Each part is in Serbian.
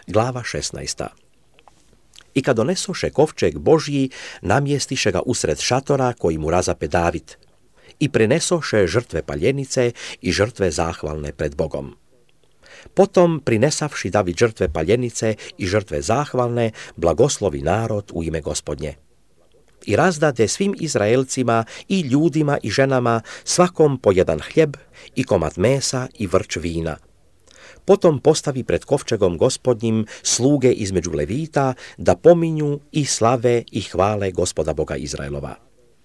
Glava 16. I kad donesoše kovčeg Božji, namjestiše ga usred šatora koji mu razape David. I prinesoše žrtve paljenice i žrtve zahvalne pred Bogom. Potom, prinesavši David žrtve paljenice i žrtve zahvalne, blagoslovi narod u ime Gospodnje. I razdade svim Izraelcima i ljudima i ženama svakom po jedan hljeb i komad mesa i vrč vina. Potom postavi pred kovčegom Gospodnjim sluge između Levita da pominju i slave i hvale Gospoda Boga Izraelova.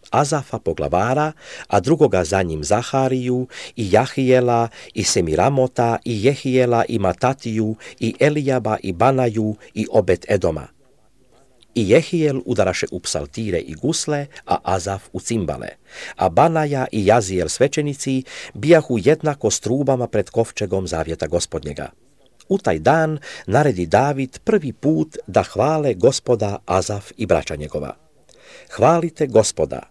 Azafa poglavara, a drugoga za njim Zahariju i Jahijela i Semiramota i Jehijela i Matatiju i Elijaba i Banaju i Obed Edoma. I Jehijel udaraše u psaltire i gusle, a Azaf u cimbale, a Banaja i Jazijel svećenici bijahu jednako s trubama pred kovčegom zavjeta Gospodnjega. U taj dan naredi David prvi put da hvale Gospoda Azaf i braća njegova. Hvalite Gospoda,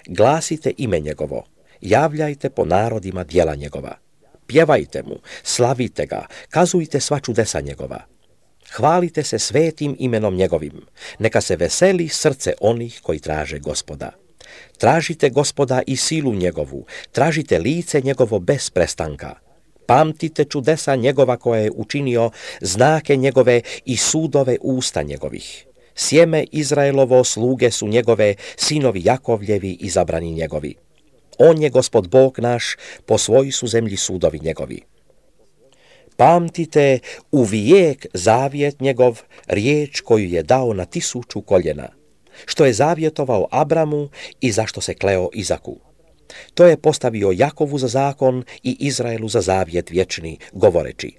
glasite ime njegovo, javljajte po narodima djela njegova. Pjevajte mu, slavite ga, kazujte sva čudesa njegova. Hvalite se svetim imenom njegovim, neka se veseli srce onih koji traže Gospoda. Tražite Gospoda i silu njegovu, tražite lice njegovo bez prestanka. Pamtite čudesa njegova koje je učinio, znake njegove i sudove usta njegovih. Sjeme Izraelovo sluge su njegove, sinovi Jakovljevi izabrani njegovi. On je Gospod Bog naš, po svojoj su zemlji sudovi njegovi. Pamtite uvijek zavjet njegov, riječ koju je dao na 1000 koljena, što je zavjetovao Abramu i zašto se kleo Izaku. To je postavio Jakovu za zakon i Izraelu za zavjet vječni, govoreći: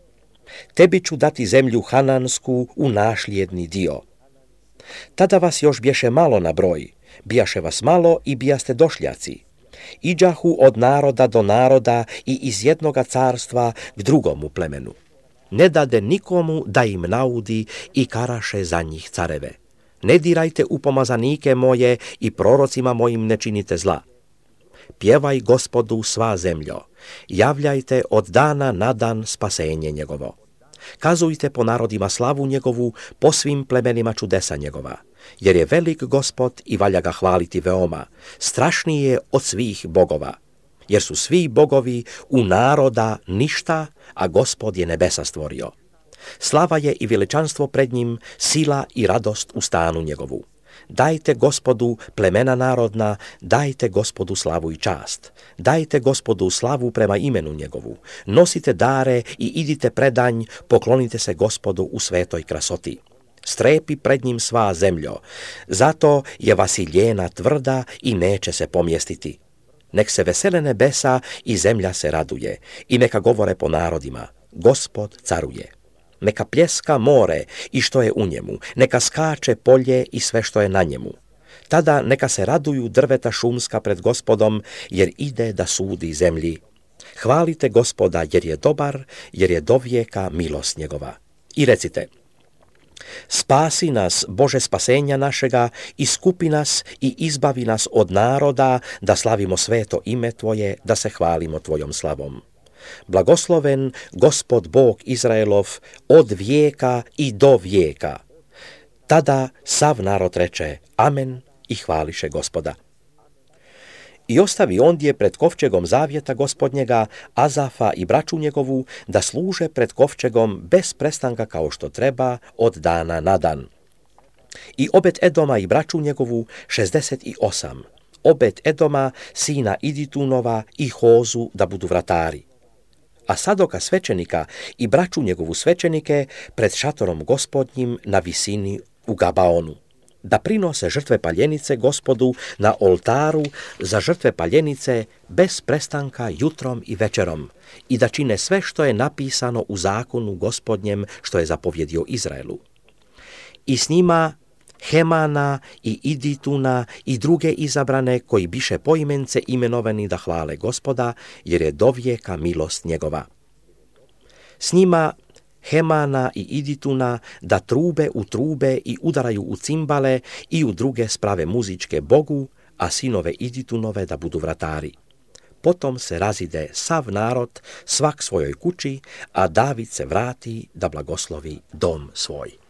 tebi ću dati zemlju Hanansku u našlijedni dio. Tada vas još bješe malo na broj, bijaše vas malo i bijaste došljaci. Iđahu od naroda do naroda i iz jednoga carstva k drugomu plemenu. Ne dade nikomu da im naudi i karaše za njih careve. Ne dirajte u pomazanike moje i prorocima mojim ne činite zla. Pjevaj Gospodu sva zemljo, javljajte od dana na dan spasenje njegovo. Kazujte po narodima slavu njegovu, po svim plemenima čudesa njegova. Jer je velik Gospod i valja ga hvaliti veoma, strašniji je od svih bogova. Jer su svi bogovi u naroda ništa, a Gospod je nebesa stvorio. Slava je i veličanstvo pred njim, sila i radost u stanu njegovu. Dajte Gospodu plemena narodna, dajte Gospodu slavu i čast. Dajte Gospodu slavu prema imenu njegovu. Nosite dare i idite predanj, poklonite se Gospodu u svetoj krasoti. Strepi pred njim sva zemljo, zato je vasiljena tvrda i neće se pomjestiti. Nek se vesele nebesa i zemlja se raduje, i neka govore po narodima: Gospod caruje. Neka pljeska more i što je u njemu, neka skače polje i sve što je na njemu. Tada neka se raduju drveta šumska pred Gospodom, jer ide da sudi zemlji. Hvalite Gospoda, jer je dobar, jer je dovijeka milost njegova. I recite: spasi nas, Bože spasenja našega, iskupi nas i izbavi nas od naroda, da slavimo sveto ime Tvoje, da se hvalimo Tvojom slavom. Blagosloven Gospod Bog Izraelov od vijeka i do vijeka. Tada sav narod reče: amen, i hvališe Gospoda. I ostavi ondje pred kovčegom zavjeta Gospodnjega Azafa i braću njegovu da služe pred kovčegom bez prestanka kao što treba od dana na dan. I Obed Edoma i braću njegovu 68, Obed Edoma sina Iditunova i Hozu da budu vratari. A Sadoka svećenika i braću njegovu svećenike pred šatorom Gospodnjim na visini u Gabaonu, da prinose žrtve paljenice Gospodu na oltaru za žrtve paljenice bez prestanka jutrom i večerom, i da čine sve što je napisano u zakonu Gospodnjem što je zapovjedio Izraelu. I s njima Hemana i Idituna i druge izabrane koji biše poimence imenovani da hvale Gospoda, jer je dovijeka milost njegova. S njima Hemana i Idituna da trube u trube i udaraju u cimbale i u druge sprave muzičke Bogu, a sinove Iditunove da budu vratari. potom se razide sav narod, svak svojoj kući, a David se vrati da blagoslovi dom svoj.